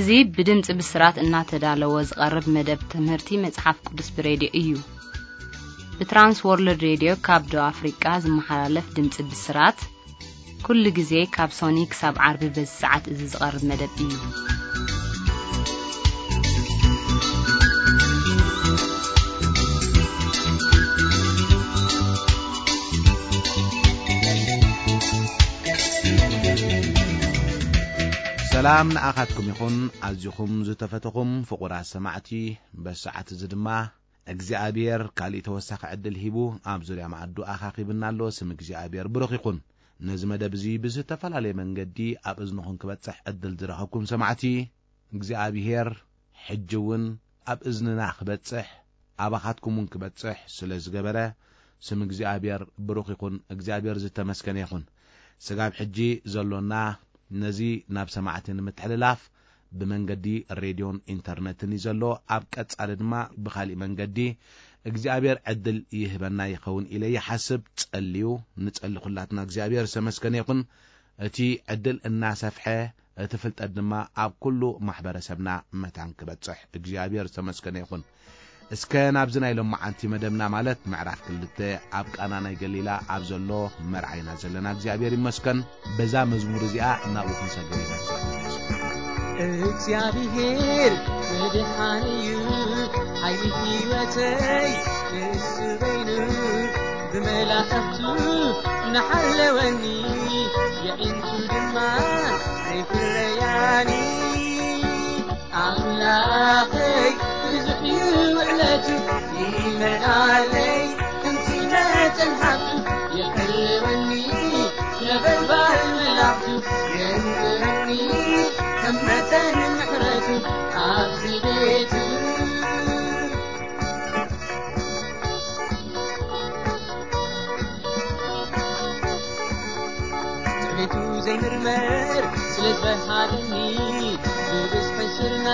እዚ ብድምፂ ብስራት እናተዳለወ ዝቐርብ መደብ ትምህርቲ መጽሓፍ ቅዱስ ብሬድዮ እዩ። ብትራንስ ወርልድ ሬድዮ ካብ ደቡብ ኣፍሪቃ ዝመሓላለፍ ድምፂ ብስራት፣ ኩሉ ግዜ ካብ ሶኒ ክሳብ ዓርቢ በዚ ሰዓት እዚ ዝቐርብ መደብ እዩ። ሰላም ንኣኻትኩም ይኹን። ኣዚኹም ዝተፈተኹም ፍቑራት ሰማዕቲ፣ በዚ ሰዓት እዚ ድማ እግዚኣብሔር ካሊእ ተወሳኺ ዕድል ሂቡ ኣብ ዙርያ መኣዱ ኣኻኺብና ኣሎ። ስም እግዚኣብሔር ብሩኽ ይኹን። ነዚ መደብ እዚ ብዝተፈላለየ መንገዲ ኣብ እዝንኹም ክበጽሕ ዕድል ዝረኸብኩም ሰማዕቲ፣ እግዚኣብሔር ሕጂ እውን ኣብ እዝንና ክበጽሕ፣ ኣባኻትኩም እውን ክበጽሕ ስለ ዝገበረ፣ ስም እግዚኣብሔር ብሩኽ ይኹን። እግዚኣብሔር ዝተመስገነ ይኹን። ስጋብ ሕጂ ዘሎና ነዚ ናብ ሰማዕቲ ንምትሕልላፍ ብመንገዲ ሬድዮን ኢንተርነትን እዩ ዘሎ። ኣብ ቀጻሊ ድማ ብኻሊእ መንገዲ እግዚኣብሔር ዕድል ይህበና ይኸውን ኢለ ይሓስብ። ጸልዩ፣ ንጸሊ ኩላትና። እግዚኣብሔር ዝተመስገነ ይኹን። እቲ ዕድል እናሰፍሐ፣ እቲ ፍልጠት ድማ ኣብ ኩሉ ማሕበረሰብና መታን ክበጽሕ እግዚኣብሔር ዝተመስገነ ይኹን። እስከ ናብዚ ናይ ሎማዓንቲ መደብና፣ ማለት ምዕራፍ ክልተ፣ ኣብ ቃና ናይ ገሊላ ኣብ ዘሎ መርዓይና ዘለና እግዚኣብሔር ይመስገን። በዛ መዝሙር እዚኣ ናብኡ ክንሰግር ኢና። እግዚኣብሔር መድሓኒ እዩ፣ ሓይሊ ህይወተይ ንሱ በይኑ፣ ብመላእኽቱ እናሓለወኒ፣ የዒንቱ ድማ ኣይፍረያኒ። ኣምላኸይ ብዙሕ እዩ ውዕለቱ፣ ይመልኣለይ ከምቲ መጠን ሃብቱ፣ የሕልወኒ ነበልባል መላእኽቱ፣ የንብረኒ ከም መጠን ምሕረቱ። ኣብዚ ቤቱ ቤቱ ዘይምርመር ስለ ዝበሃለኒ፣ ብብዝሒ ስርና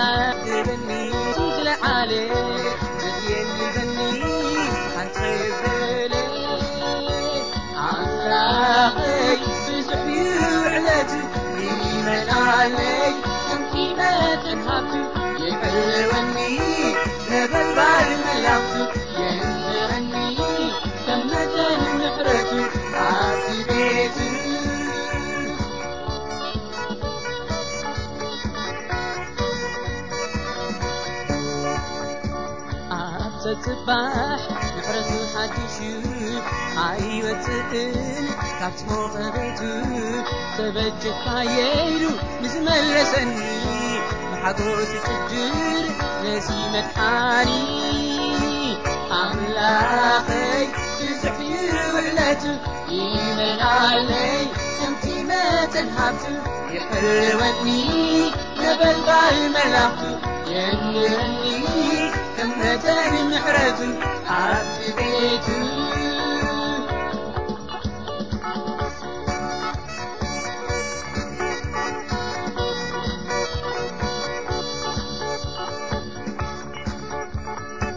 ግበኒ፣ ዝለዓለ ዘድልየኒ በኒ ሓንተ በለ። ኣምላኸይ ብዙሕ እዩ ውዕለቱ፣ ይመልኣለይ ከምቲ መጠን ሃብቱ፣ የሕልወኒ ነበልባል መላእኽቱ፣ የንብረኒ ከም መጠን ምሕረቱ። ኣብቲ ቤቱ ኣብ ጸጽባሕ ምሕረቱ ሓዲስ እዩ፣ ኣይወጽእን ካብ ሞቐ ቤቱ። ተበጀካ የይሉ ንዝመለሰኒ፣ ብሓጎስ ይጭድር ነዚ መድሓኒ። ኣምላኸይ ብዙሕ እዩ ውዕለቱ፣ ይመልኣለይ ከምቲ መጠን ሃብቱ፣ የሕልወኒ ነበልባል መላእኽቱ፣ የንብረኒ ከም መጠን ምሕረቱ። ኣብቲ ቤቱ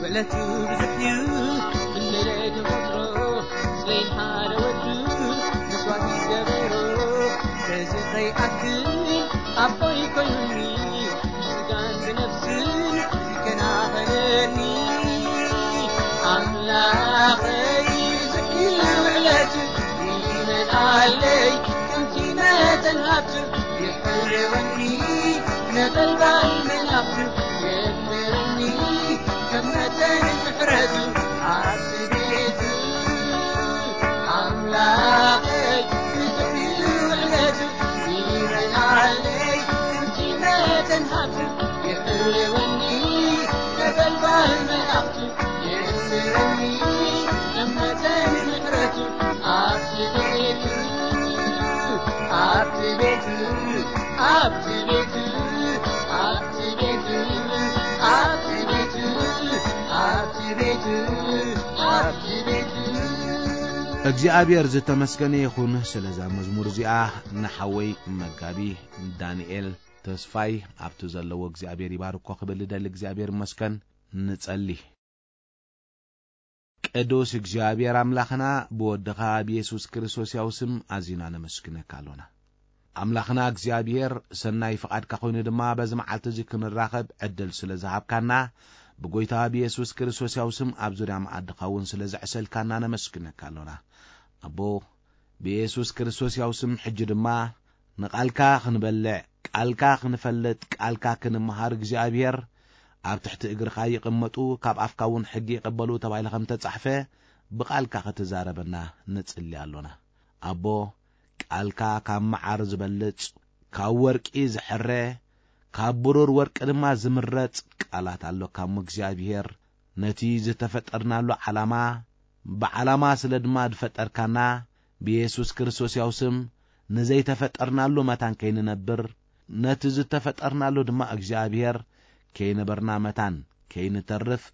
ውዕለቱ ብዙሕ እዩ፣ ክንደይ ዶ ክቆጽሮ፣ ስለ ሓደ ወዱ መስዋእቲ ዝገበሮ። በዚ ከይኣክል ኣቦይ ኮይኑኒ፣ ብስጋን ብነፍስን ይከናኸነኒ። ኣምላኸይ ብዙሕ እዩ ውዕለቱ፣ ይመልኣለይ ከምቲ መጠን ሃብቱ፣ የሕልወኒ ነበልባል መላእኽቱ፣ የንብረኒ ከም መጠን ምሕረቱ። ኣብቲ ቤቱ ኣምላኸይ ብዙሕ እዩ ውዕለቱ፣ ይመልኣለይ ከምቲ መጠን ሃብቱ፣ የሕልወኒ ነበልባል መላእኽቱ፣ የንብረኒ ከም መጠን ምሕረቱ። ኣብቲ ቤቱ፣ ኣብቲ ቤቱ፣ ኣብቲ ቤቱ፣ ኣብቲ ቤቱ፣ ኣብቲ ቤቱ፣ ኣብቲ ቤቱ፣ ኣብቲ ቤቱ። እግዚኣብሔር ዝተመስገነ ይኹን ስለዛ መዝሙር እዚኣ። ንሓወይ መጋቢ ዳንኤል ተስፋይ ኣብቲ ዘለዎ እግዚኣብሔር ይባርኮ ክብል እደሊ። እግዚኣብሔር ይመስገን። ንጸሊ። ቅዱስ እግዚኣብሔር ኣምላኽና፣ ብወድኻ ብየሱስ ክርስቶስ ያው ስም ኣዚና ነመስግነካ ኣሎና። ኣምላኽና እግዚኣብሔር፣ ሰናይ ፍቓድካ ኮይኑ ድማ በዚ መዓልቲ እዚ ክንራኸብ ዕድል ስለ ዝሃብካና፣ ብጎይታ ብየሱስ ክርስቶስ ያው ስም ኣብ ዙርያ መኣድኻ እውን ስለ ዘዕሰልካና ነመስግነካ ኣሎና። ኣቦ፣ ብየሱስ ክርስቶስ ያው ስም ሕጂ ድማ ንቓልካ ክንበልዕ፣ ቃልካ ክንፈልጥ፣ ቃልካ ክንመሃር እግዚኣብሔር፣ ኣብ ትሕቲ እግርኻ ይቕመጡ፣ ካብ ኣፍካ እውን ሕጊ ይቐበሉ ተባሂሉ ከም ተጻሕፈ፣ ብቓልካ ክትዛረበና ንጽሊ ኣሎና። ኣቦ፣ ቃልካ ካብ መዓር ዝበልጽ፣ ካብ ወርቂ ዝሕረ፣ ካብ ብሩር ወርቂ ድማ ዝምረጽ ቃላት ኣሎካ እሞ እግዚኣብሔር፣ ነቲ ዝተፈጠርናሉ ዓላማ፣ ብዓላማ ስለ ድማ ዝፈጠርካና፣ ብየሱስ ክርስቶስ ያው ስም ንዘይተፈጠርናሉ መታን ከይንነብር፣ ነቲ ዝተፈጠርናሉ ድማ እግዚኣብሔር ከይነበርና መታን ከይንተርፍ፣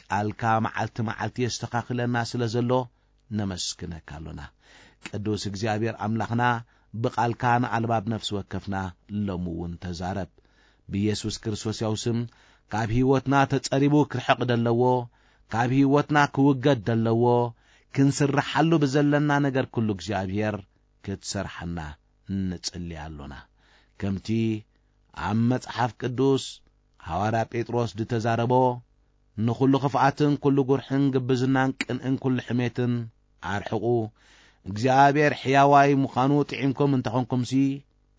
ቃልካ መዓልቲ መዓልቲ የስተኻኽለና ስለ ዘሎ፣ ነመስግነካ ኣሎና። ቅዱስ እግዚኣብሔር ኣምላኽና፣ ብቓልካ ንኣልባብ ነፍሲ ወከፍና ሎሚ እውን ተዛረብ። ብየሱስ ክርስቶስ ያው ስም፣ ካብ ህይወትና ተጸሪቡ ክርሕቕ ደለዎ፣ ካብ ህይወትና ክውገድ ደለዎ፣ ክንስርሓሉ ብዘለና ነገር ኩሉ እግዚኣብሔር ክትሰርሓና ንጽሊ ኣሎና። ከምቲ ኣብ መጽሓፍ ቅዱስ ሃዋርያ ጴጥሮስ ዝተዛረቦ፣ ንኹሉ ክፍኣትን ኩሉ ጉርሕን ግብዝናን ቅንእን ኩሉ ሕሜትን ኣርሕቑ። እግዚኣብሔር ሕያዋይ ምዃኑ ጥዒምኩም እንተኾንኩምሲ፣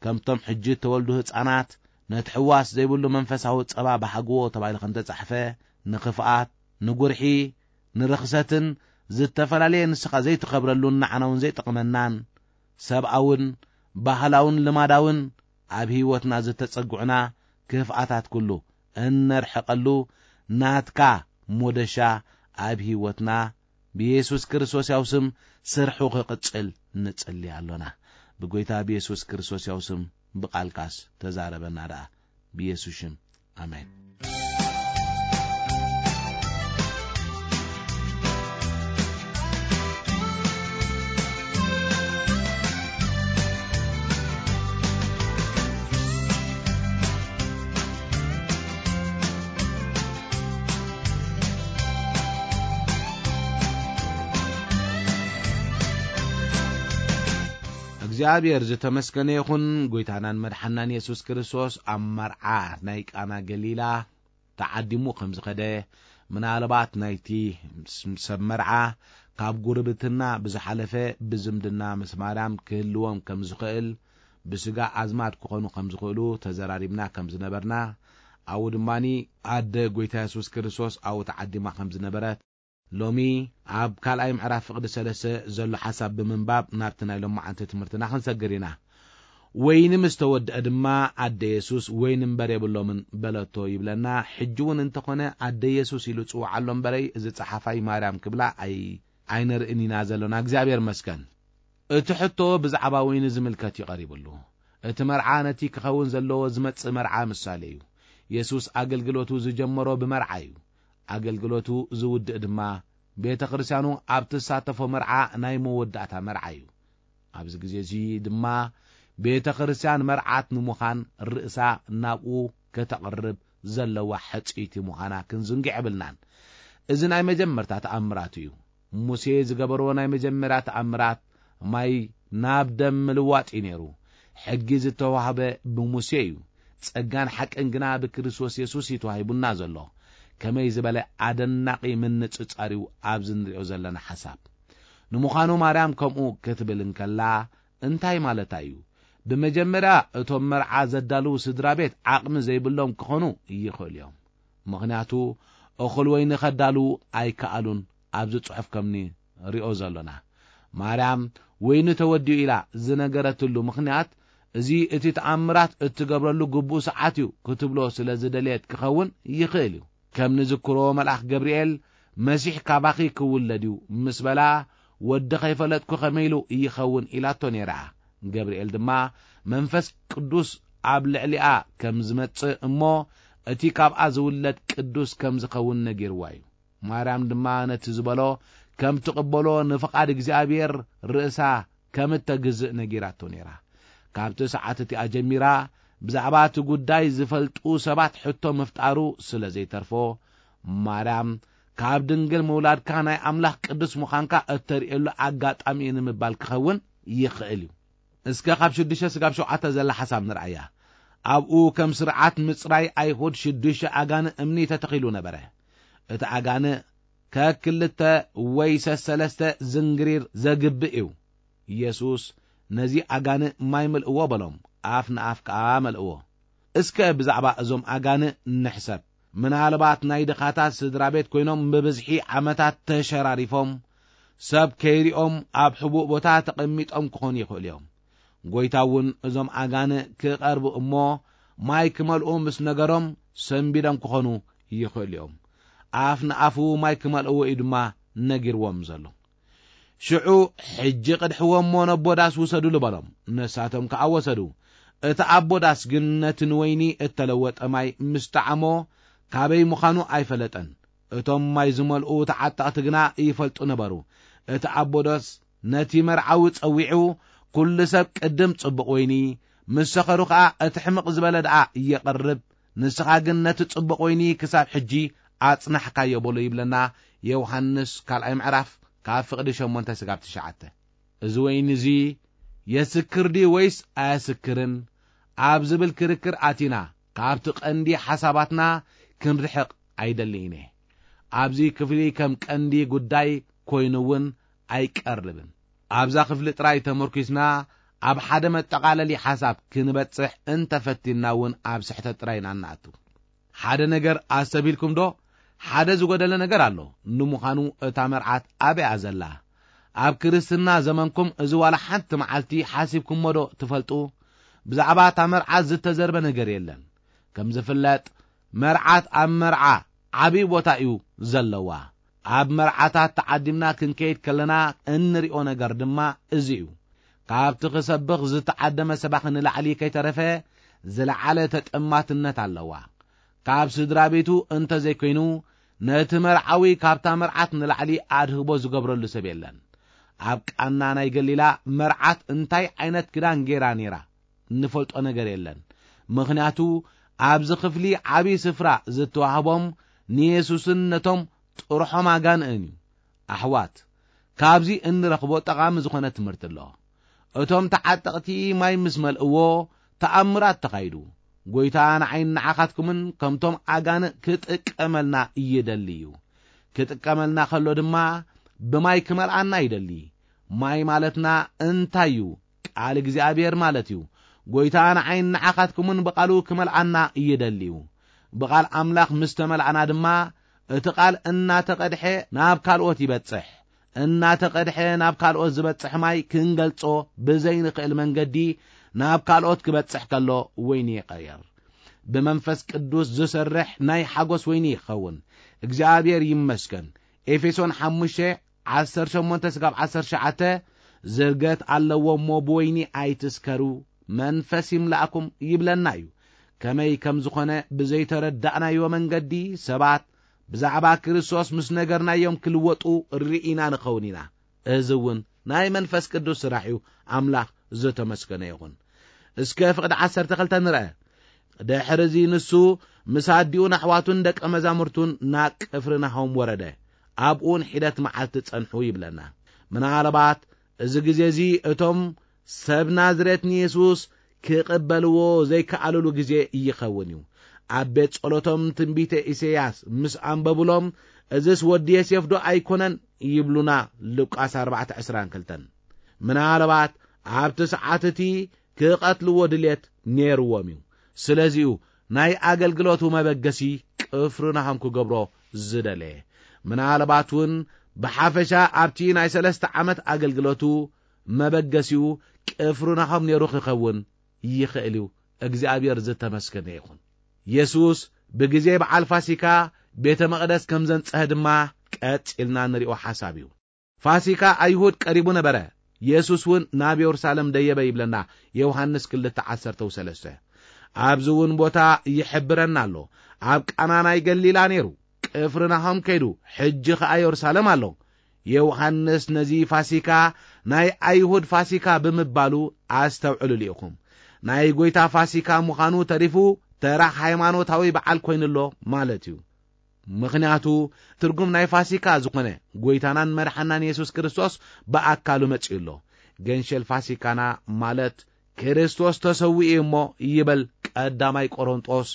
ከምቶም ሕጂ እተወልዱ ህጻናት፣ ነቲ ሕዋስ ዘይብሉ መንፈሳዊ ጸባ በሃግዎ ተባሂሉ ከም ተጻሕፈ፣ ንኽፍኣት፣ ንጉርሒ፣ ንርኽሰትን ዝተፈላለየ ንስኻ ዘይትኸብረሉን ንዓና እውን ዘይጠቕመናን፣ ሰብኣውን ባህላውን ልማዳውን ኣብ ህይወትና ዝተጸግዑና ክፍኣታት ኩሉ እነርሕቐሉ ናትካ ሞደሻ ኣብ ህይወትና ብየሱስ ክርስቶስ ያው ስም ስርሑ ክቕጽል ንጽሊ ኣሎና። ብጎይታ ብየሱስ ክርስቶስ ያው ስም ብቓልካስ ተዛረበና ደኣ። ብየሱስ ሽም፣ ኣሜን። እግዚኣብሔር ዝተመስገነ ይኹን። ጎይታናን መድሓናን የሱስ ክርስቶስ ኣብ መርዓ ናይ ቃና ገሊላ ተዓዲሙ ከም ዝኸደ፣ ምናልባት ናይቲ ሰብ መርዓ ካብ ጉርብትና ብዝሓለፈ ብዝምድና ምስ ማርያም ክህልዎም ከም ዝኽእል፣ ብስጋ ኣዝማድ ክኾኑ ከም ዝኽእሉ ተዘራሪብና ከም ዝነበርና፣ ኣብኡ ድማኒ ኣደ ጎይታ የሱስ ክርስቶስ ኣብኡ ተዓዲማ ከም ዝነበረት፣ ሎሚ ኣብ ካልኣይ ምዕራፍ ፍቕዲ ሰለስተ ዘሎ ሓሳብ ብምንባብ ናብቲ ናይ ሎማዓንቲ ትምህርትና ክንሰግር ኢና። ወይኒ ምስ ተወድአ ድማ ኣደ የሱስ፣ "ወይኒ እምበር የብሎምን" በለቶ ይብለና። ሕጂ እውን እንተኾነ ኣደ የሱስ ኢሉ ጽውዓሎ እምበረይ፣ እዚ ጸሓፋይ ማርያም ክብላ ኣይ-፣ ኣይንርእን ኢና ዘሎና። እግዚኣብሔር መስገን። እቲ ሕቶ ብዛዕባ ወይኒ ዝምልከት እዩ ቀሪብሉ። እቲ መርዓ ነቲ ክኸውን ዘለዎ ዝመጽእ መርዓ ምሳሌ እዩ። የሱስ ኣገልግሎቱ ዝጀመሮ ብመርዓ እዩ። ኣገልግሎቱ ዝውድእ ድማ ቤተ ክርስቲያኑ ኣብ ትሳተፎ መርዓ ናይ መወዳእታ መርዓ እዩ። ኣብዚ ግዜ እዚ ድማ ቤተ ክርስቲያን መርዓት ንምዃን ርእሳ ናብኡ ከተቕርብ ዘለዋ ሕጽይቲ ምዃና ክንዝንግዕ የብልናን። እዚ ናይ መጀመርታ ተኣምራት እዩ። ሙሴ ዝገበሮ ናይ መጀመርያ ተኣምራት ማይ ናብ ደም ምልዋጥ እዩ ነይሩ። ሕጊ ዝተዋህበ ብሙሴ እዩ። ጸጋን ሓቅን ግና ብክርስቶስ የሱስ እዩ ተዋሂቡና ዘሎ። ከመይ ዝበለ ኣደናቒ ምንጽጻር እዩ ኣብዚ ንሪኦ ዘለና ሓሳብ። ንምዃኑ ማርያም ከምኡ ክትብል እንከላ እንታይ ማለታ እዩ? ብመጀመርያ እቶም መርዓ ዘዳልዉ ስድራ ቤት ዓቕሚ ዘይብሎም ክኾኑ ይኽእሉ እዮም። ምኽንያቱ እኹል ወይኒ ከዳልዉ ኣይከኣሉን። ኣብዚ ጽሑፍ ከም ንሪኦ ዘሎና፣ ማርያም ወይኒ ተወዲኡ ኢላ ዝነገረትሉ ምኽንያት፣ እዚ እቲ ተኣምራት እትገብረሉ ግቡእ ሰዓት እዩ ክትብሎ ስለ ዝደለየት ክኸውን ይኽእል እዩ። ከም ንዝክሮ መልኣኽ ገብርኤል፣ "መሲሕ ካባኺ ክውለድ እዩ" ምስ በላ፣ "ወዲ ከይፈለጥኩ ከመይ ኢሉ ይኸውን?" ኢላቶ ነይራ። ገብርኤል ድማ፣ "መንፈስ ቅዱስ ኣብ ልዕሊኣ ከም ዝመጽእ እሞ፣ እቲ ካብኣ ዝውለድ ቅዱስ ከም ዝኸውን ነጊርዋ እዩ።" ማርያም ድማ ነቲ ዝበሎ ከም ትቕበሎ ንፍቓድ እግዚኣብሔር ርእሳ ከም እተግዝእ ነጊራቶ ነይራ። ካብቲ ሰዓት እቲኣ ጀሚራ ብዛዕባ እቲ ጉዳይ ዝፈልጡ ሰባት ሕቶ ምፍጣሩ ስለ ዘይተርፎ፣ ማርያም ካብ ድንግል ምውላድካ ናይ ኣምላኽ ቅዱስ ምዃንካ እተርእየሉ ኣጋጣሚ እዩ ንምባል ክኸውን ይኽእል እዩ። እስከ ካብ ሽዱሽተ ስጋብ ሸውዓተ ዘላ ሓሳብ ንርኣያ። ኣብኡ ከም ስርዓት ምጽራይ ኣይሁድ ሽዱሽተ ኣጋንእ እምኒ ተተኺሉ ነበረ። እቲ ኣጋንእ ከክልተ ወይ ሰሰለስተ ዝንግሪር ዘግብእ እዩ። ኢየሱስ ነዚ ኣጋንእ ማይ ምልእዎ በሎም፣ ኣፍ ንኣፍ ከኣ መልእዎ። እስከ ብዛዕባ እዞም ኣጋንእ ንሕሰብ። ምናልባት ናይ ድኻታት ስድራ ቤት ኮይኖም ብብዝሒ ዓመታት ተሸራሪፎም፣ ሰብ ከይሪኦም ኣብ ሕቡእ ቦታ ተቐሚጦም ክኾኑ ይኽእሉ እዮም። ጎይታ እውን እዞም ኣጋንእ ክቐርቡ እሞ ማይ ክመልኡ ምስ ነገሮም ሰንቢዶም ክኾኑ ይኽእሉ እዮም። ኣፍ ንኣፉ ማይ ክመልእዎ እዩ ድማ ነጊርዎም ዘሎ። ሽዑ ሕጂ ቅድሕዎ እሞ ነቦ ዳስ ውሰዱሉ በሎም። ነሳቶም ከኣ ወሰዱ። እቲ ኣቦ ዳስ ግን ነቲ ንወይኒ እተለወጠ ማይ ምስ ጠዓሞ ካበይ ምዃኑ ኣይፈለጠን። እቶም ማይ ዝመልኡ ተዓጠቕቲ ግና ይፈልጡ ነበሩ። እቲ ኣቦ ዳስ ነቲ መርዓዊ ጸዊዑ፣ "ኩሉ ሰብ ቅድም ጽቡቕ ወይኒ፣ ምስ ሰኸሩ ኸኣ እቲ ሕምቕ ዝበለ ደኣ የቕርብ፣ ንስኻ ግን ነቲ ጽቡቕ ወይኒ ክሳብ ሕጂ ኣጽናሕካዮ" በሎ ይብለና ዮሃንስ ካልኣይ ምዕራፍ ካብ ፍቕዲ ሸሞንተ ስጋብ ትሽዓተ። እዚ ወይኒ እዚ የስክር ድዩ ወይስ ኣየስክርን ኣብ ዝብል ክርክር ኣቲና ካብቲ ቀንዲ ሓሳባትና ክንርሕቕ ኣይደልን እየ። ኣብዚ ክፍሊ ከም ቀንዲ ጉዳይ ኮይኑ እውን ኣይቀርብን። ኣብዛ ክፍሊ ጥራይ ተመርኪስና ኣብ ሓደ መጠቓለሊ ሓሳብ ክንበጽሕ እንተፈቲንና እውን ኣብ ስሕተት ጥራይ ኢና እንኣቱ። ሓደ ነገር ኣስተብሂልኩም ዶ? ሓደ ዝጎደለ ነገር ኣሎ። ንምዃኑ እታ መርዓት ኣበይ እያ ዘላ? ኣብ ክርስትና ዘመንኩም እዚ ዋላ ሓንቲ መዓልቲ ሓሲብኩሞ ዶ ትፈልጡ? ብዛዕባ እታ መርዓት ዝተዘርበ ነገር የለን። ከም ዝፍለጥ መርዓት ኣብ መርዓ ዓብዪ ቦታ እዩ ዘለዋ። ኣብ መርዓታት ተዓዲምና ክንከይድ ከለና እንሪኦ ነገር ድማ እዚ እዩ። ካብቲ ክሰብኽ ዝተዓደመ ሰባኺ ንላዕሊ ከይተረፈ ዝለዓለ ተጠማትነት ኣለዋ። ካብ ስድራ ቤቱ እንተዘይኮይኑ ነቲ መርዓዊ ካብታ መርዓት ንላዕሊ ኣድህቦ ዝገብረሉ ሰብ የለን። ኣብ ቃና ናይ ገሊላ መርዓት እንታይ ዓይነት ክዳን ገይራ ነይራ? እንፈልጦ ነገር የለን። ምኽንያቱ ኣብዚ ክፍሊ ዓብዪ ስፍራ ዝተዋህቦም ንየሱስን ነቶም ጥርሖም ኣጋንእን እዩ። ኣሕዋት፣ ካብዚ እንረኽቦ ጠቓሚ ዝኾነ ትምህርቲ ኣሎ። እቶም ተዓጠቕቲ ማይ ምስ መልእዎ ተኣምራት ተኻይዱ። ጎይታ ንዓይን ንዓኻትኩምን ከምቶም ኣጋንእ ክጥቀመልና ይደሊ እዩ። ክጥቀመልና ከሎ ድማ ብማይ ክመልኣና ይደሊ። ማይ ማለትና እንታይ እዩ? ቃል እግዚኣብሔር ማለት እዩ። ጎይታ ንዓይን ንዓኻትኩምን ብቓሉ ክመልኣና ይደሊ እዩ። ብቓል ኣምላኽ ምስ ተመልኣና ድማ እቲ ቃል እናተቐድሐ ናብ ካልኦት ይበጽሕ። እናተቐድሐ ናብ ካልኦት ዝበጽሕ ማይ ክንገልጾ ብዘይንኽእል መንገዲ ናብ ካልኦት ክበጽሕ ከሎ ወይኒ ይቐየር። ብመንፈስ ቅዱስ ዝሰርሕ ናይ ሓጎስ ወይኒ ይኸውን። እግዚኣብሔር ይመስገን። ኤፌሶን ሓሙሽተ ዓሰርተ ሸሞንተ ስጋብ ዓሰርተ ትሽዓተ ዝርገት ኣለዎ እሞ ብወይኒ ኣይትስከሩ፣ መንፈስ ይምላእኩም ይብለና እዩ። ከመይ ከም ዝኾነ ብዘይተረዳእናዮ መንገዲ ሰባት ብዛዕባ ክርስቶስ ምስ ነገርናዮም ክልወጡ ርኢና ንኸውን ኢና። እዚ እውን ናይ መንፈስ ቅዱስ ስራሕ እዩ። ኣምላኽ ዝተመስገነ ይኹን። እስከ ፍቕዲ ዓሰርተ ክልተ ንርአ። ድሕሪ እዚ ንሱ ምስ ኣዲኡን ኣሕዋቱን ደቀ መዛሙርቱን ናብ ቅፍርናሆም ወረደ። ኣብኡን ሒደት መዓልቲ ጸንሑ ይብለና። ምናልባት እዚ ግዜ እዚ እቶም ሰብ ናዝሬት ንየሱስ ክቕበልዎ ዘይከኣልሉ ግዜ ይኸውን እዩ። ኣብ ቤት ጸሎቶም ትንቢተ ኢሳይያስ ምስ ኣንበቡሎም፣ "እዝስ ወዲ ዮሴፍ ዶ ኣይኮነን?" ይብሉና። ሉቃስ ኣርባዕተ ዕስራን ክልተን። ምናልባት ኣብቲ ሰዓት እቲ ክቐትልዎ ድልየት ነይርዎም እዩ። ስለዚኡ ናይ ኣገልግሎቱ መበገሲ ቅፍርናሆም ክገብሮ ዝደለየ። ምናልባት እውን ብሓፈሻ ኣብቲ ናይ ሰለስተ ዓመት ኣገልግሎቱ መበገሲኡ ቅፍርናሆም ነይሩ ክኸውን ይኽእል እዩ። እግዚኣብሔር ዝተመስገነ ይኹን። የሱስ ብግዜ በዓል ፋሲካ ቤተ መቕደስ ከም ዘንጸሀ ድማ ቀጺልና ንሪኦ ሓሳብ እዩ። ፋሲካ ኣይሁድ ቀሪቡ ነበረ። የሱስ እውን ናብ የሩሳሌም ደየበ ይብለና ዮሃንስ ክልተ ዓሰርተ ሰለስተ። ኣብዚ እውን ቦታ ይሕብረና ኣሎ። ኣብ ቃና ናይ ገሊላ ነይሩ፣ ቅፍርናሆም ከይዱ፣ ሕጂ ኸኣ የሩሳሌም ኣሎ። ዮሃንስ ነዚ ፋሲካ ናይ ኣይሁድ ፋሲካ ብምባሉ ኣስተውዕሉሉ ኢኹም። ናይ ጐይታ ፋሲካ ምዃኑ ተሪፉ ተራ ሃይማኖታዊ በዓል ኮይኑሎ ማለት እዩ። ምኽንያቱ ትርጉም ናይ ፋሲካ ዝኾነ ጐይታናን መድሓናን የሱስ ክርስቶስ ብኣካሉ መጺኡ ኣሎ። ገንሸል ፋሲካና ማለት ክርስቶስ ተሰዊኡ እሞ ይበል ቀዳማይ ቆሮንጦስ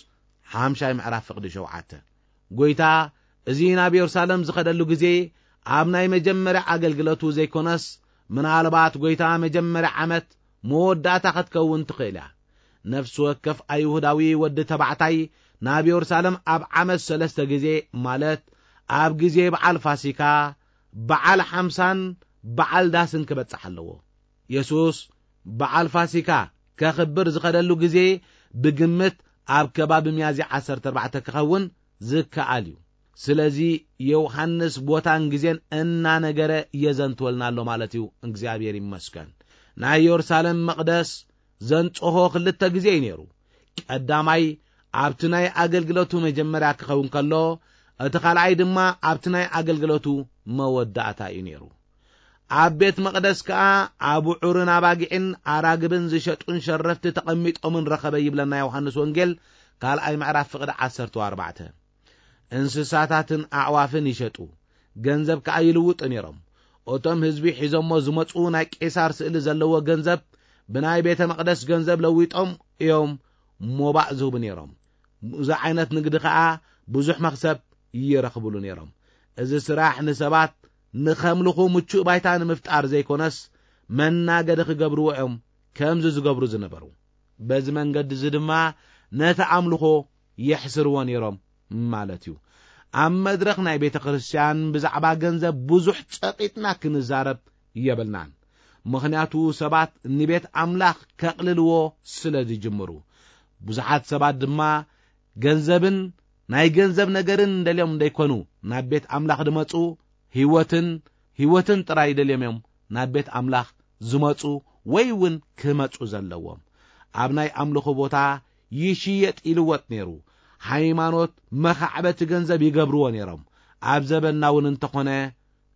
ሓምሻይ ምዕራፍ ፍቕዲ ሸውዓተ። ጎይታ እዚ ናብ የሩሳሌም ዝኸደሉ ግዜ ኣብ ናይ መጀመርያ ኣገልግሎቱ ዘይኮነስ፣ ምናልባት ጎይታ መጀመርያ ዓመት መወዳእታ ክትከውን ትኽእል እያ። ነፍሲ ወከፍ ኣይሁዳዊ ወዲ ተባዕታይ ናብ የሩሳሌም ኣብ ዓመት ሰለስተ ግዜ፣ ማለት ኣብ ግዜ በዓል ፋሲካ፣ በዓል ሓምሳን በዓል ዳስን ክበጽሕ ኣለዎ። የሱስ በዓል ፋሲካ ከኽብር ዝኸደሉ ግዜ ብግምት ኣብ ከባቢ ሚያዝያ ዓሰርተ ኣርባዕተ ክኸውን ዝከኣል እዩ። ስለዚ ዮሃንስ ቦታን ግዜን እናነገረ የዘንትወልና ኣሎ ማለት እዩ። እግዚኣብሔር ይመስገን። ናይ የሩሳሌም መቕደስ ዘንጽሆ ክልተ ግዜ እዩ ነይሩ። ቀዳማይ ኣብቲ ናይ ኣገልግሎቱ መጀመርያ ክኸውን ከሎ፣ እቲ ካልኣይ ድማ ኣብቲ ናይ ኣገልግሎቱ መወዳእታ እዩ ነይሩ። ኣብ ቤት መቕደስ ከኣ ኣቡዑርን ኣባጊዕን ኣራግብን ዝሸጡን ሸረፍቲ ተቐሚጦምን ረኸበ ይብለና ዮሃንስ ወንጌል ካልኣይ ምዕራፍ ፍቕዲ ዓሰርተ ኣርባዕተ። እንስሳታትን ኣዕዋፍን ይሸጡ፣ ገንዘብ ከኣ ይልውጡ ነይሮም። እቶም ህዝቢ ሒዞሞ ዝመጹ ናይ ቄሳር ስእሊ ዘለዎ ገንዘብ ብናይ ቤተ መቕደስ ገንዘብ ለዊጦም እዮም ሞባእ ዝህቡ ነይሮም። ብዚ ዓይነት ንግዲ ከኣ ብዙሕ መኽሰብ ይረኽብሉ ነይሮም። እዚ ስራሕ ንሰባት ንኸምልኹ ምቹእ ባይታ ንምፍጣር ዘይኮነስ፣ መናገዲ ክገብርዎ እዮም ከምዚ ዝገብሩ ዝነበሩ። በዚ መንገዲ እዚ ድማ ነቲ ኣምልኾ የሕስርዎ ነይሮም ማለት እዩ። ኣብ መድረኽ ናይ ቤተ ክርስቲያን ብዛዕባ ገንዘብ ብዙሕ ጸቒጥና ክንዛረብ የብልናን። ምኽንያቱ ሰባት ንቤት ኣምላኽ ከቕልልዎ ስለ ዝጅምሩ። ብዙሓት ሰባት ድማ ገንዘብን ናይ ገንዘብ ነገርን እንደልዮም እንደይኮኑ ናብ ቤት ኣምላኽ ድመጹ፣ ህይወትን ህይወትን ጥራይ ደልዮም እዮም ናብ ቤት ኣምላኽ ዝመጹ ወይ እውን ክመጹ ዘለዎም። ኣብ ናይ ኣምልኾ ቦታ ይሽየጥ ይልወጥ ነይሩ። ሃይማኖት መኻዕበቲ ገንዘብ ይገብርዎ ነይሮም። ኣብ ዘበንና እውን እንተኾነ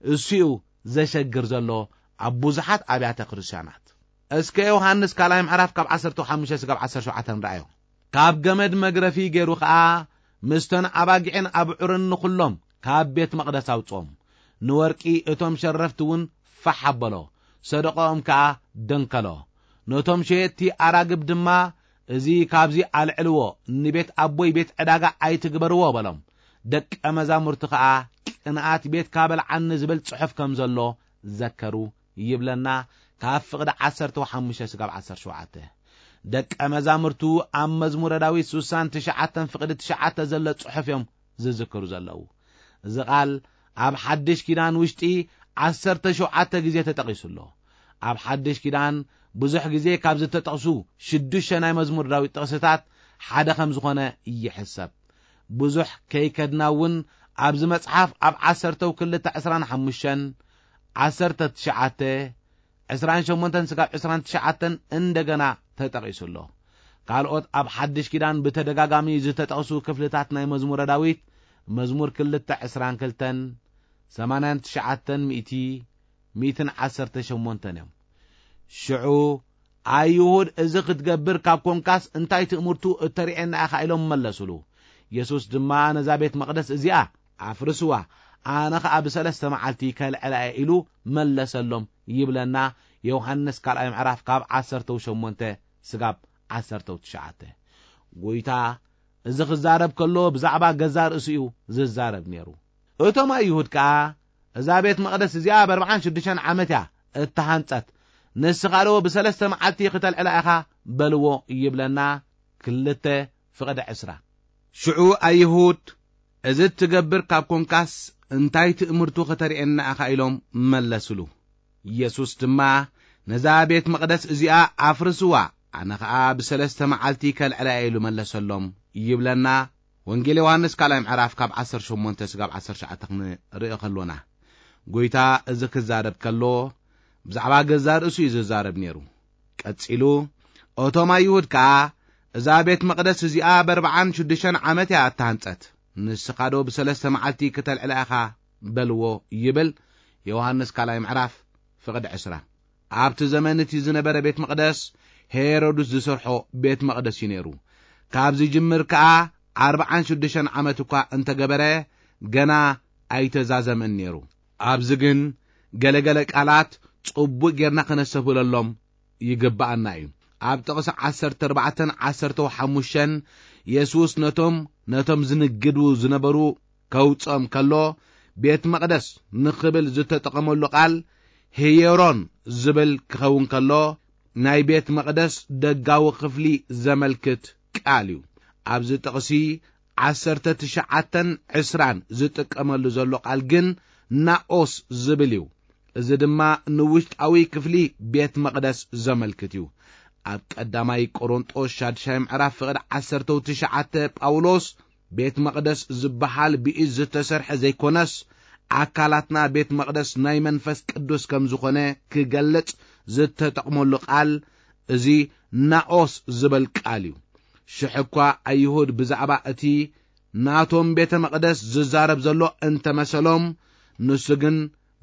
እሱ እዩ ዘሸግር ዘሎ ኣብ ብዙሓት ኣብያተ ክርስቲያናት። እስከ ዮሃንስ ካልኣይ ምዕራፍ ካብ ዓሰርተ ሓሙሽተ ስጋብ ዓሰርተ ሸውዓተ ንርኣዮ። ካብ ገመድ መግረፊ ገይሩ ኸኣ ምስተን ኣባጊዕን ኣብዑርን ንኹሎም ካብ ቤት መቕደስ ኣውጽኦም። ንወርቂ እቶም ሸረፍቲ እውን ፋሕ ኣበሎ፣ ሰደቃኦም ከኣ ደንከሎ። ነቶም ሸየጥቲ ኣራግብ ድማ፣ "እዚ ካብዚ ኣልዕልዎ፣ ንቤት ኣቦይ ቤት ዕዳጋ ኣይትግበርዎ" በሎም። ደቀ መዛሙርቲ ኸኣ "ቅንኣት ቤት ካበልዓኒ" ዝብል ጽሑፍ ከም ዘሎ ዘከሩ ይብለና ካብ ፍቕዲ ዓሰርተ ሓሙሽተ ስጋብ ዓሰርተ ሸውዓተ። ደቀ መዛሙርቱ ኣብ መዝሙረ ዳዊት ስሳን ትሽዓተን ፍቕዲ ትሽዓተ ዘሎ ጽሑፍ እዮም ዝዝክሩ ዘለዉ። እዚ ቃል ኣብ ሓድሽ ኪዳን ውሽጢ ዓሰርተ ሸውዓተ ግዜ ተጠቒሱ ኣሎ። ኣብ ሓድሽ ኪዳን ብዙሕ ግዜ ካብ ዝተጠቕሱ ሽዱሽተ ናይ መዝሙር ዳዊት ጥቕስታት ሓደ ከም ዝኾነ ይሕሰብ። ብዙሕ ከይከድና እውን ኣብዚ መጽሓፍ ኣብ ዓሰርተው ክልተ ዕስራን ሓሙሽተን፣ ዓሰርተ ትሽዓተ፣ ዕስራን ሸሞንተን ስጋብ ዕስራን ትሽዓተን እንደገና ተጠቒሱ ኣሎ። ካልኦት ኣብ ሓድሽ ኪዳን ብተደጋጋሚ ዝተጠቕሱ ክፍልታት ናይ መዝሙረ ዳዊት፣ መዝሙር ክልተ ዕስራን ክልተን፣ ሰማንያን ትሽዓተን ሚእቲ፣ ሚእትን ዓሰርተ ሸሞንተን እዮም። ሽዑ ኣይሁድ፣ "እዚ ክትገብር ካብ ኮንካስ እንታይ ትእምርቱ እተርእየና ኢኻ?" ኢሎም መለሱሉ። የሱስ ድማ፣ "ነዛ ቤት መቕደስ እዚኣ ኣፍርስዋ፣ ኣነ ኸኣ ብሰለስተ መዓልቲ ከልዕላ እየ" ኢሉ መለሰሎም ይብለና ዮሃንስ ካልኣይ ምዕራፍ ካብ ዓሰርተው ሸሞንተ ስጋብ ዓሰርተው ትሽዓተ። ጎይታ እዚ ክዛረብ ከሎ ብዛዕባ ገዛ ርእሱ እዩ ዝዛረብ ነይሩ። እቶም ኣይሁድ ከኣ፣ "እዛ ቤት መቕደስ እዚኣ ኣብ ኣርብዓን ሽዱሽተን ዓመት እያ እተሃንጸት፣ ንስኻ ዶ ብሰለስተ መዓልቲ ክተልዕላ ኢኻ?" በልዎ ይብለና ክልተ ፍቕዲ ዕስራ። ሽዑ ኣይሁድ፣ "እዚ እትገብር ካብ ኮንካስ እንታይ ትእምርቱ ከተርእየና ኢኻ?" ኢሎም መለስሉ። ኢየሱስ ድማ፣ "ነዛ ቤት መቕደስ እዚኣ ኣፍርስዋ፣ ኣነ ኸኣ ብሰለስተ መዓልቲ ከልዕላ እየ" ኢሉ መለሰሎም ይብለና ወንጌል ዮሃንስ ካልኣይ ምዕራፍ ካብ ዓሰርተ ሸሞንተ ስጋብ ዓሰርተ ትሽዓተ ክንርኢ ከሎና። ጎይታ እዚ ክዛረብ ከሎ ብዛዕባ ገዛ ርእሱ እዩ ዝዛረብ ነይሩ። ቀጺሉ፣ "እቶም ኣይሁድ ከኣ፣ እዛ ቤት መቕደስ እዚኣ በርብዓን ሽዱሽተን ዓመት እያ እተሃንጸት፣ ንስኻ ዶ ብሰለስተ መዓልቲ ክተልዕላ ኢኻ?" በልዎ ይብል ዮሃንስ ካልኣይ ምዕራፍ ፍቕዲ ዕስራ። ኣብቲ ዘመን እቲ ዝነበረ ቤት መቕደስ ሄሮድስ ዝሰርሖ ቤት መቕደስ እዩ ነይሩ። ካብ ዝጅምር ከኣ ኣርብዓን ሽዱሽተን ዓመት እኳ እንተገበረ ገና ኣይተዛዘመን ነይሩ። ኣብዚ ግን ገለገለ ቃላት ጽቡቕ ጌርና ከነስተብህለሎም ይግብኣና እዩ። ኣብ ጥቕሲ ዓሰርተ ኣርባዕተን ዓሰርተ ሓሙሽተን የሱስ ነቶም፣ ነቶም ዝንግዱ ዝነበሩ ከውጽኦም ከሎ፣ ቤት መቕደስ ንኽብል ዝተጠቐመሉ ቃል ሄየሮን ዝብል ክኸውን ከሎ፣ ናይ ቤት መቕደስ ደጋዊ ክፍሊ ዘመልክት ቃል እዩ። ኣብዚ ጥቕሲ ዓሰርተ ትሽዓተን ዕስራን ዝጥቀመሉ ዘሎ ቃል ግን ናኦስ ዝብል እዩ። እዚ ድማ ንውሽጣዊ ክፍሊ ቤት መቕደስ ዘመልክት እዩ። ኣብ ቀዳማይ ቆሮንጦስ ሻድሻይ ምዕራፍ ፍቕዲ ዓሰርተው ትሽዓተ ጳውሎስ፣ ቤት መቕደስ ዝበሃል ብኢድ ዝተሰርሐ ዘይኮነስ፣ ኣካላትና ቤት መቕደስ ናይ መንፈስ ቅዱስ ከም ዝኾነ ክገልጽ ዝተጠቕመሉ ቃል፣ እዚ ናኦስ ዝበል ቃል እዩ። ሽሕ እኳ ኣይሁድ ብዛዕባ እቲ ናቶም ቤተ መቕደስ ዝዛረብ ዘሎ እንተመሰሎም፣ ንሱ ግን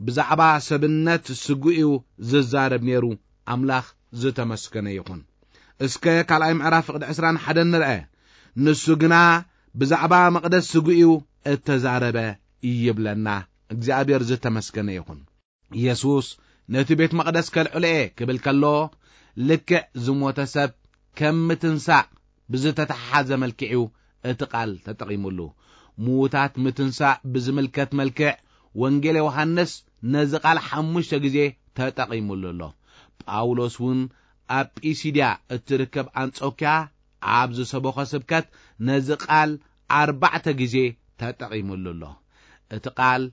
ብዛዕባ ሰብነት ስጉ እዩ ዝዛረብ ነይሩ። ኣምላኽ ዝተመስገነ ይኹን። እስከ ካልኣይ ምዕራፍ ፍቕዲ ዕስራን ሓደን ንርአ። ንሱ ግና ብዛዕባ መቕደስ ስጉ እዩ እተዛረበ ይብለና። እግዚኣብሔር ዝተመስገነ ይኹን። የሱስ ነቲ ቤት መቕደስ ከልዕሎ እየ ክብል ከሎ፣ ልክዕ ዝሞተ ሰብ ከም ምትንሳእ ብዝተተሓሓዘ መልክዕ እዩ እቲ ቃል ተጠቒሙሉ። ምዉታት ምትንሳእ ብዝምልከት መልክዕ፣ ወንጌል ዮሃንስ ነዚ ቃል ሓሙሽተ ግዜ ተጠቒሙሉ ኣሎ። ጳውሎስ እውን ኣብ ጲሲድያ እትርከብ ኣንጾክያ ኣብ ዝሰበኾ ስብከት ነዚ ቃል ኣርባዕተ ግዜ ተጠቒሙሉ ኣሎ። እቲ ቃል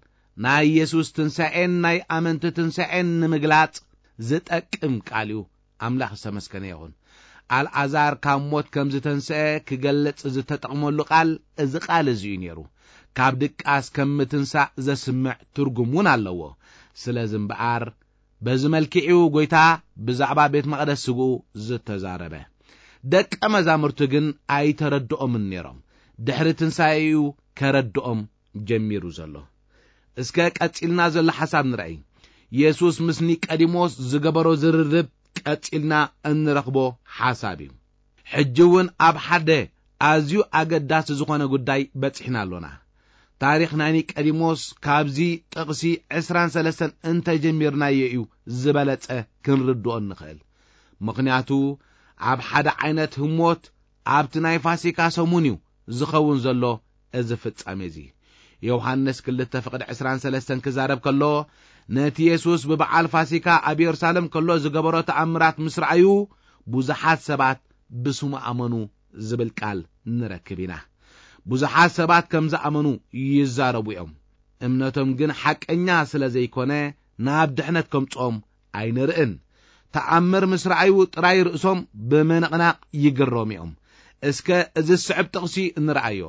ናይ የሱስ ትንሳኤን ናይ ኣመንቲ ትንሳኤን ንምግላጽ ዝጠቅም ቃል እዩ። ኣምላኽ ዝተመስገነ ይኹን። ኣልዓዛር ካብ ሞት ከም ዝተንስአ ክገልጽ ዝተጠቕመሉ ቃል እዚ ቃል እዚ እዩ ነይሩ። ካብ ድቃስ ከም ምትንሳእ ዘስምዕ ትርጉም እውን ኣለዎ። ስለዚ እምበኣር በዚ መልክዕ እዩ ጐይታ ብዛዕባ ቤት መቕደስ ስግኡ ዝተዛረበ። ደቀ መዛሙርቱ ግን ኣይተረድኦምን ነይሮም። ድሕሪ ትንሳኤኡ ከረድኦም ጀሚሩ ዘሎ። እስከ ቀጺልና ዘሎ ሓሳብ ንርኣይ። የሱስ ምስ ኒቀዲሞስ ዝገበሮ ዝርርብ ቀጺልና እንረኽቦ ሓሳብ እዩ። ሕጂ እውን ኣብ ሓደ ኣዝዩ ኣገዳሲ ዝኾነ ጉዳይ በጺሕና ኣሎና። ታሪኽ ናይ ኒቀዲሞስ ካብዚ ጥቕሲ ዕስራን ሰለስተን እንተጀሚርናዮ እዩ ዝበለጸ ክንርድኦ እንኽእል። ምኽንያቱ ኣብ ሓደ ዓይነት ህሞት ኣብቲ ናይ ፋሲካ ሰሙን እዩ ዝኸውን ዘሎ እዚ ፍጻሜ እዚ። ዮሃንስ ክልተ ፍቕዲ ዕስራን ሰለስተን ክዛረብ ከሎ፣ ነቲ የሱስ ብበዓል ፋሲካ ኣብ የሩሳሌም ከሎ ዝገበሮ ተኣምራት ምስ ረኣዩ፣ ብዙሓት ሰባት ብስሙ ኣመኑ ዝብል ቃል ንረክብ ኢና። ብዙሓት ሰባት ከም ዝኣመኑ ይዛረቡ እዮም። እምነቶም ግን ሓቀኛ ስለ ዘይኮነ፣ ናብ ድሕነት ከምጽኦም ኣይንርእን። ተኣምር ምስ ረኣዩ ጥራይ ርእሶም ብምንቕናቕ ይግረሙ እዮም። እስከ እዚ ዝስዕብ ጥቕሲ እንረኣዮ።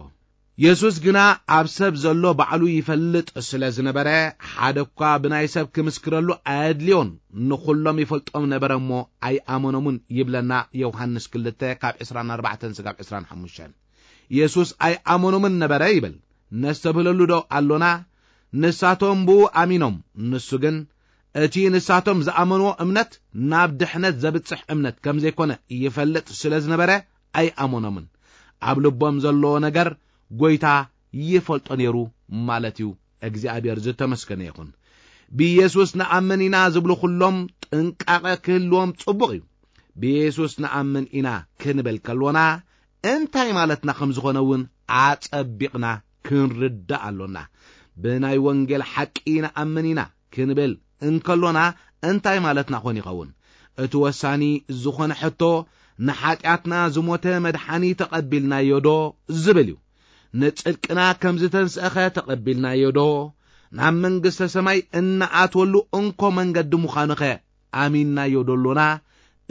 የሱስ ግና ኣብ ሰብ ዘሎ ባዕሉ ይፈልጥ ስለ ዝነበረ፣ ሓደ እኳ ብናይ ሰብ ክምስክረሉ ኣየድልዮን። ንኹሎም ይፈልጦም ነበረ እሞ ኣይኣመኖምን ይብለና ዮሃንስ ክልተ ካብ ዕስራን ኣርባዕተን ስጋብ ዕስራን ሓሙሽተን። የሱስ ኣይኣመኖምን ነበረ ይብል። ነስተብህለሉ ዶ ኣሎና? ንሳቶም ብኡ ኣሚኖም፣ ንሱ ግን እቲ ንሳቶም ዝኣመንዎ እምነት ናብ ድሕነት ዘብጽሕ እምነት ከም ዘይኮነ ይፈልጥ ስለ ዝነበረ ኣይኣመኖምን። ኣብ ልቦም ዘለዎ ነገር ጐይታ ይፈልጦ ነይሩ ማለት እዩ። እግዚኣብሔር ዝተመስገነ ይኹን። ብየሱስ ንኣምን ኢና ዝብሉ ኩሎም ጥንቃቐ ክህልዎም ጽቡቕ እዩ። ብየሱስ ንኣምን ኢና ክንብል ከሎና እንታይ ማለትና ከም ዝኾነ እውን ኣጸቢቕና ክንርዳእ ኣሎና። ብናይ ወንጌል ሓቂ ንኣምን ኢና ክንብል እንከሎና እንታይ ማለትና ኾን ይኸውን? እቲ ወሳኒ ዝኾነ ሕቶ፣ ንሓጢኣትና ዝሞተ መድሓኒ ተቐቢልናዮ ዶ ዝብል እዩ። ንጽድቅና ከም ዝተንስአኸ ተቐቢልናዮ ዶ? ናብ መንግስተ ሰማይ እንኣትወሉ እንኮ መንገዲ ምዃኑኸ ኣሚንናዮ ዶ ኣሎና?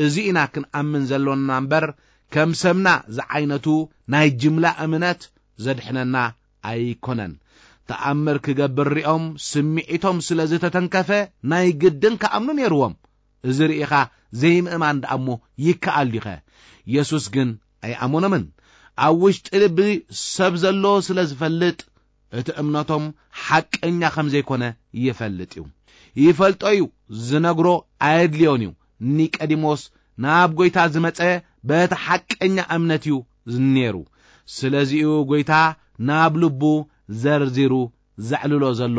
እዚ ኢና ክንኣምን ዘሎና እምበር፣ ከም ሰምና ዝዓይነቱ ናይ ጅምላ እምነት ዘድሕነና ኣይኮነን። ተኣምር ክገብር ሪኦም ስምዒቶም ስለ ዝተተንከፈ ናይ ግድን ክኣምኑ ነይርዎም። እዚ ርኢኻ ዘይምእማን ደኣ እሞ ይከኣል ዲኸ? የሱስ ግን ኣይኣመኖምን። ኣብ ውሽጢ ልቢ ሰብ ዘሎ ስለ ዝፈልጥ፣ እቲ እምነቶም ሓቀኛ ከም ዘይኮነ ይፈልጥ እዩ። ይፈልጦ እዩ፣ ዝነግሮ ኣየድልዮን እዩ። ኒቀዲሞስ ናብ ጐይታ ዝመጸ በቲ ሓቀኛ እምነት እዩ ነይሩ። ስለዚ'ዩ ጐይታ ናብ ልቡ ዘርዚሩ ዘዕልሎ ዘሎ።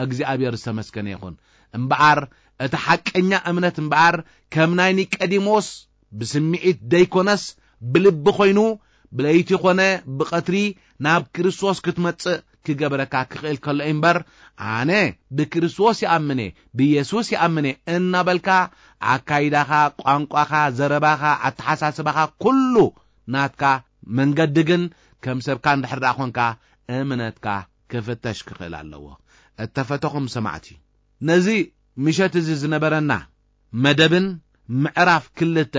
እግዚኣብሔር ዝተመስገነ ይኹን። እምበኣር እቲ ሓቀኛ እምነት እምበኣር ከም ናይ ኒቀዲሞስ ብስምዒት ደይኮነስ ብልቢ ኮይኑ፣ ብለይቲ ኮነ ብቐትሪ ናብ ክርስቶስ ክትመጽእ ክገብረካ ክኽእል ከሎ እምበር፣ ኣነ ብክርስቶስ ይኣምነ፣ ብየሱስ ይኣምነ እናበልካ ኣካይዳኻ፣ ቋንቋኻ፣ ዘረባኻ፣ ኣተሓሳስባኻ ኩሉ ናትካ መንገዲ ግን ከም ሰብካ እንድሕር ደኣ ኾንካ እምነትካ ክፍተሽ ክኽእል ኣለዎ። እተፈተኹም ሰማዕቲ፣ ነዚ ምሸት እዚ ዝነበረና መደብን ምዕራፍ ክልተ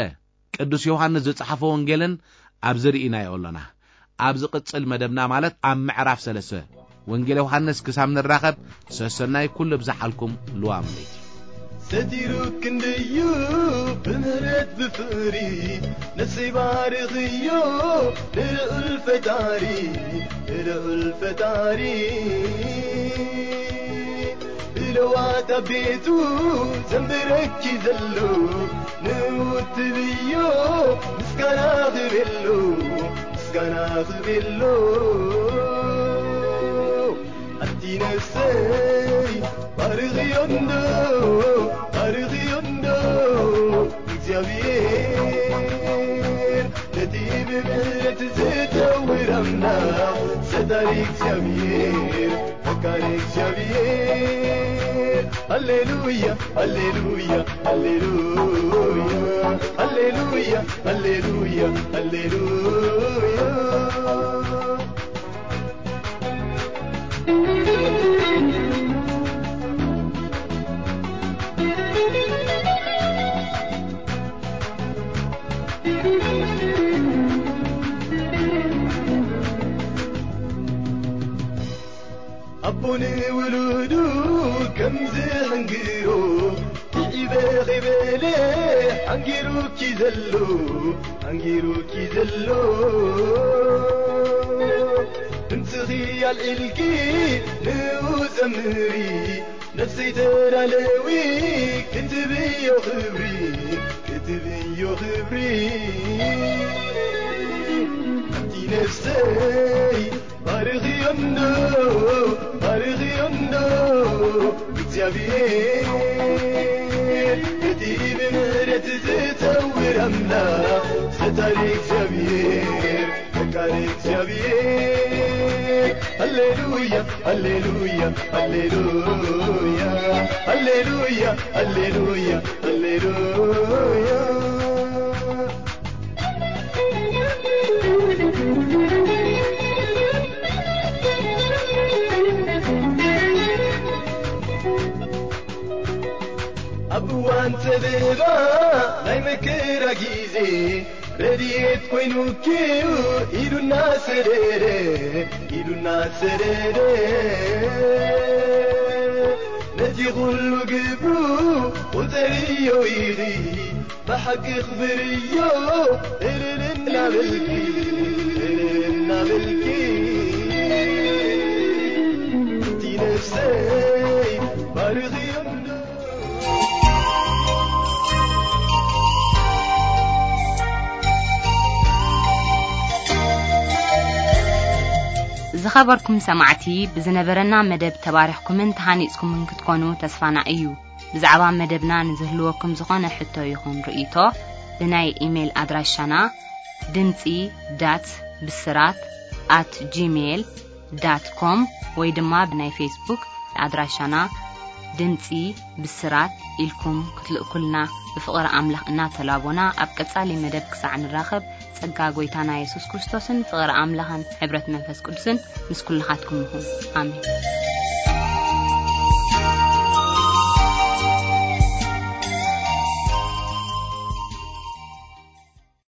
ቅዱስ ዮሃንስ ዝጸሓፎ ወንጌልን ኣብዚ ርኢናዮ ኣሎና። ኣብ ዝቕጽል መደብና ማለት ኣብ ምዕራፍ ሰለስተ ወንጌል ዮሃንስ ክሳብ ንራኸብ ሰሰናይ ኩሉ ብዝሓልኩም ልዋም ለይቲ። ሰቲሩ ክንድዩ ብምህረት ብፍቕሪ ነፍሰይ ባርኽዮ ንልዑል ፈጣሪ፣ ንልዑል ፈጣሪ። ብለዋት ኣብ ቤቱ ዘንብረኪ ዘሎ ንውትብዮ ምስጋና ክቤሎ፣ ምስጋና ክቤሎ። ኣንቲ ነፍሰይ ባርኽዮ እንዶ፣ ባርኽዮ እንዶ እግዚኣብሔር፣ ነቲ ብምህረት ዝተውር ኣምላኽ ሰታሪ እግዚኣብሔር፣ ፈቃሪ እግዚኣብሔር። ሃሌሉያ፣ ሃሌሉያ፣ ሃሌሉያ፣ ሃሌሉያ፣ ሃሌሉያ፣ ሃሌሉያ። ኣቦ ንውሉዱ ከምዚ ሕንግሮ ትዒበ ኸይበለ ሓንጊሩኪ ዘሎ፣ ሓንጊሩኪ ዘሎ። ድምፅኺ ኣልዒልኪ ንኡ ዘምሪ፣ ነፍሰይ ተዳለዊ ክትብዮ ክብሪ፣ ክትብዮ ክብሪ። ኣንቲ ነፍሰይ ባርኽዮ እንዶ፣ ባርኽዮ እንዶ እግዚኣብሔር፣ እቲ ብምህረት ዝተውር ኣምላኽ ሰታሪ እግዚኣብሔር፣ ፈቃሪ እግዚኣብሔር። ሃሌሉያ፣ ሃሌሉያ፣ ሃሌሉያ፣ ሃሌሉያ፣ ሃሌሉያ፣ ሃሌሉያ። ኣብ እዋን ጸበባ ናይ መከራ ጊዜ ረድኤት ኮይኑኪ ኢዱ እናሰደደ፣ ኢዱ እናሰደደ ነቲ ኩሉ ግብሩ ቁጸርዮ ኢኺ ብሓቂ ክብርዮ እልል እናበልኪ፣ እልል እናበልኪ እቲ ነፍሰይ ባርኽዮ እንዶ። ዝኸበርኩም ሰማዕቲ፣ ብዝነበረና መደብ ተባሪኽኩምን ተሃኒጽኩምን ክትኮኑ ተስፋና እዩ። ብዛዕባ መደብና ንዝህልወኩም ዝኾነ ሕቶ ይኹን ርእይቶ፣ ብናይ ኢሜይል ኣድራሻና ድምጺ ዳት ብስራት ኣት ጂሜይል ዳት ኮም ወይ ድማ ብናይ ፌስቡክ ኣድራሻና ድምጺ ብስራት ኢልኩም ክትልእኩልና ብፍቕሪ ኣምላኽ እናተላቦና፣ ኣብ ቀጻሊ መደብ ክሳዕ ንራኸብ፣ ጸጋ ጐይታና የሱስ ክርስቶስን ፍቕሪ ኣምላኽን ሕብረት መንፈስ ቅዱስን ምስ ኩልኻትኩም ይኹን። ኣሜን።